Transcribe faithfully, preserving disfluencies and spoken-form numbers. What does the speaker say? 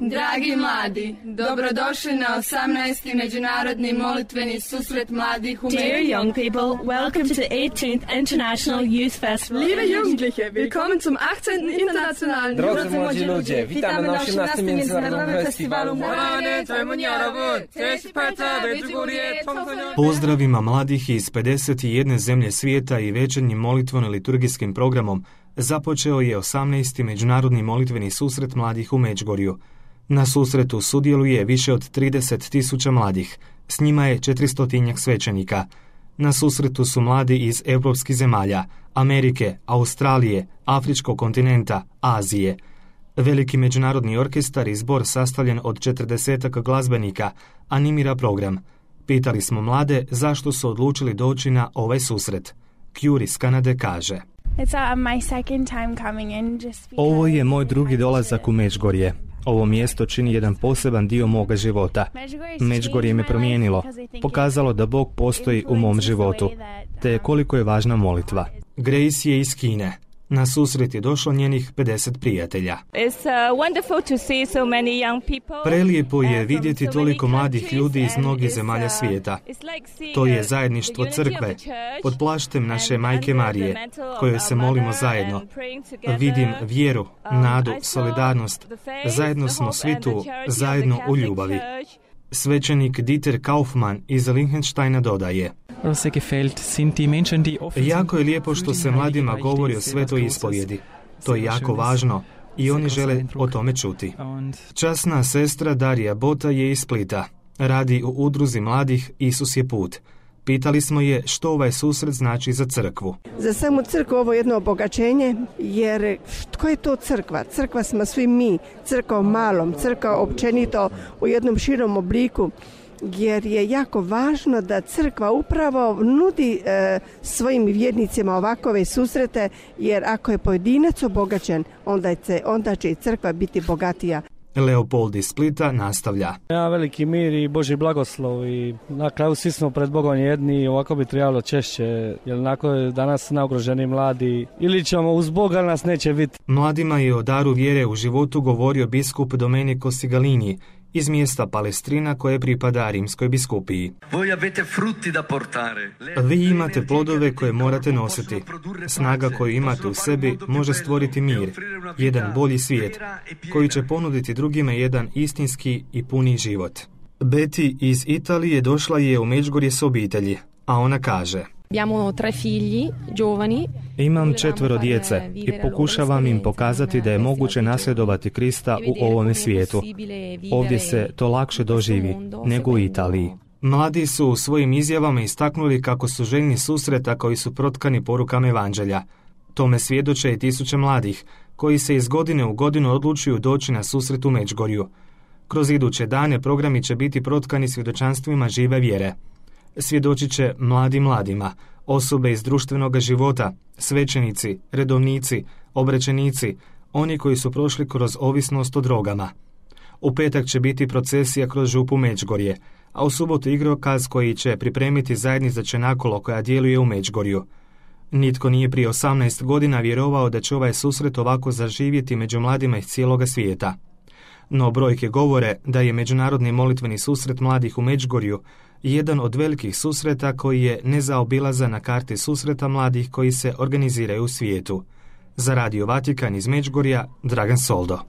Dragi mladi, dobrodošli na osamnaesti međunarodni molitveni susret mladih u Međugorju. Dear young people, welcome to the eighteenth International Youth Festival. Liebe Jugendliche, willkommen zum achtzehnten Internationalen Drodzy młodzi ludzie, witamy na osiemnastym Międzynarodowym Festiwalu Młodych. Pozdravima mladih iz pedeset jedne zemlje svijeta i večernjim molitveno-liturgijskim programom započeo je osamnaesti Međunarodni molitveni susret mladih u Međugorju. Na susretu sudjeluje više od trideset tisuća mladih, s njima je četiristotinjak svećenika. Na susretu su mladi iz europskih zemalja, Amerike, Australije, Afričkog kontinenta, Azije. Veliki međunarodni orkestar i zbor sastavljen od četrdesetak glazbenika animira program. Pitali smo mlade zašto su odlučili doći na ovaj susret. Kjuri iz Kanade kaže: Ovo je moj drugi dolazak u Međugorje. Ovo mjesto čini jedan poseban dio moga života. Međugorje me promijenilo, pokazalo da Bog postoji u mom životu, te koliko je važna molitva. Grace je iz Kine. Na susret je došlo njenih pedeset prijatelja. Prelijepo je vidjeti toliko mladih ljudi iz mnogih zemalja svijeta. To je zajedništvo crkve, pod plaštem naše Majke Marije, kojoj se molimo zajedno. Vidim vjeru, nadu, solidarnost. Zajedno smo svi tu, zajedno u ljubavi. Svećenik Dieter Kaufmann iz Liechtensteina dodaje: Jako je lijepo što se mladima govori o svetoj ispovjedi. To je jako važno i oni žele o tome čuti. Časna sestra Darija Bota je iz Splita. Radi u udruzi mladih Isus je put. Pitali smo je što ovaj susret znači za crkvu. Za samu crkvu ovo je jedno obogaćenje, jer tko je to crkva? Crkva smo svi mi, crkva u malom, crkva općenito u jednom širom obliku, jer je jako važno da crkva upravo nudi e, svojim vjernicima ovakove susrete, jer ako je pojedinac obogaćen, onda, je, onda će i crkva biti bogatija. Leopold iz Splita nastavlja: Ja, veliki mir i Božji blagoslov i na kraju svi smo pred Bogom jedni i ovako bi trebalo češće, jer onako je danas naugroženi mladi ili ćemo uz Boga, nas neće biti. Mladima je o daru vjere u životu govorio biskup Domenico Sigalini iz mjesta Palestrina koje pripada Rimskoj biskupiji. Vi imate plodove koje morate nositi. Snaga koju imate u sebi može stvoriti mir, jedan bolji svijet, koji će ponuditi drugima jedan istinski i puni život. Betty iz Italije došla je u Međugorje s obitelji, a ona kaže: Imam četvero djece i pokušavam im pokazati da je moguće nasljedovati Krista u ovome svijetu. Ovdje se to lakše doživi nego u Italiji. Mladi su u svojim izjavama istaknuli kako su željni susreta koji su protkani porukama evanđelja. Tome svjedoče i tisuće mladih koji se iz godine u godinu odlučuju doći na susret u Međugorju. Kroz iduće dane programi će biti protkani svjedočanstvima žive vjere. Svjedočit će mladi mladima, osobe iz društvenog života, svećenici, redovnici, obraćenici, oni koji su prošli kroz ovisnost o drogama. U petak će biti procesija kroz župu Međugorje, a u subotu igrokaz koji će pripremiti zajednica Čenakolo koja djeluje u Međugorju. Nitko nije prije osamnaest godina vjerovao da će ovaj susret ovako zaživjeti među mladima iz cijeloga svijeta. No brojke govore da je Međunarodni molitveni susret mladih u Međugorju jedan od velikih susreta koji je nezaobilazan na karti susreta mladih koji se organiziraju u svijetu. Za Radio Vatikan iz Međugorja, Dragan Soldo.